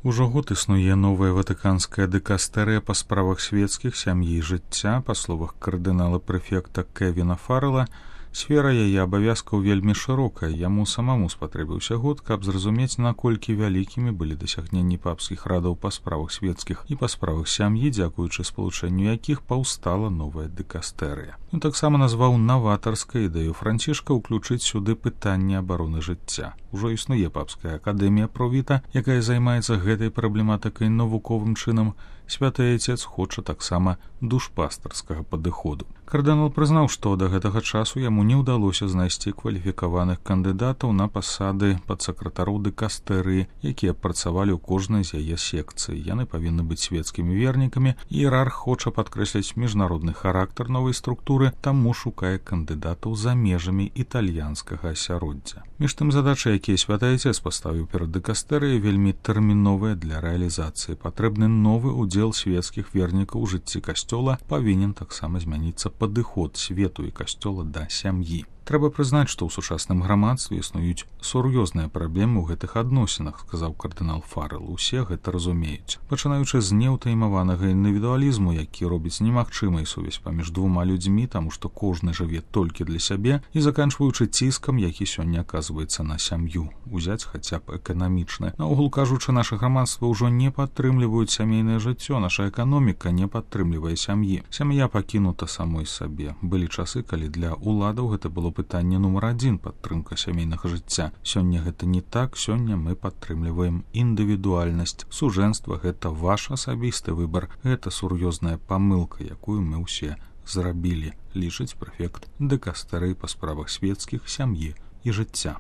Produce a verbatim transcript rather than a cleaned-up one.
Ужо год існуе новая ватыканская дыкастэрыя па справах свецкіх, сям'і і жыцця. Па словах кардынала-прэфекта Кевіна Фаррела, сфера яе абавязкаў вельмі шырокая. Яму самому спатрэбіўся год, каб зразумець, наколькі вялікімі былі дасягненні папскіх радаў па справах свецкіх і па справах сям'і, дзякуючы спалучэнню якіх паўстала новая дыкастэрыя. Ён таксама назваў наватарскай ідэю Францішка ўключыць сюды пытанне абароны жыцця. Ужо існуе папская акадэмія Провіта, якая займаецца гэтай праблематыкай навуковым чынам. Святы Айцец хоча таксама душпастарскага падыходу. Кардынал прызнаў, што да гэтага часу яму не ўдалося знайсці кваліфікаваных кандыдатаў на пасады падсакратароў дыкастэрыі, якія працавалі ў кожнай з яе секцый. Яны павінны быць свецкімі вернікамі. Іерарх хоча падкрэсліць міжнародны характар новай структуры, таму шукае кандыдатаў за межамі італьянскага асяроддзя. Між тым, задачы, якія Святы Айцец паставіў перад дыкастэрыяй, вельмі тэрміновыя для рэалізацыі. Патрэбны новы удзел свецкіх вернікаў у жыцці касцёла, павінен таксама змяніцца падыход свету і касцёла да сям'і. Трэба прызнаць, што ў сучасным грамадстве існуюць сур'ёзныя праблемы ў гэтых адносінах, сказаў кардынал Фаррел. Усе гэта разумеюць. Пачынаючы з неўтаймаванага індывідуалізму, які робіць немагчымай сувязь паміж двума людзьмі, таму што кожны жыве толькі для сябе, і заканчваючы ціскам, які сёння аказваецца на сям'ю. Узяць хаця б эканамічна. Наогул кажучы, наша грамадства ўжо не падтрымліваюць сямейнае жыццё, наша эканоміка не падтрымлівае сям'і. Сям'я пакінута самой сабе. Былі часы, калі для уладаў гэта было пытанне нумар адзін — падтрымка сямейнага жыцця. Сёння гэта не так, сёння мы падтрымліваем індывідуальнасць. Сужэнства — гэта ваш асабісты выбар, гэта сур'ёзная памылка, якую мы ўсе зрабілі, лічыць прэфект дыкастэрыі па справах свецкіх, сям'і і жыцця.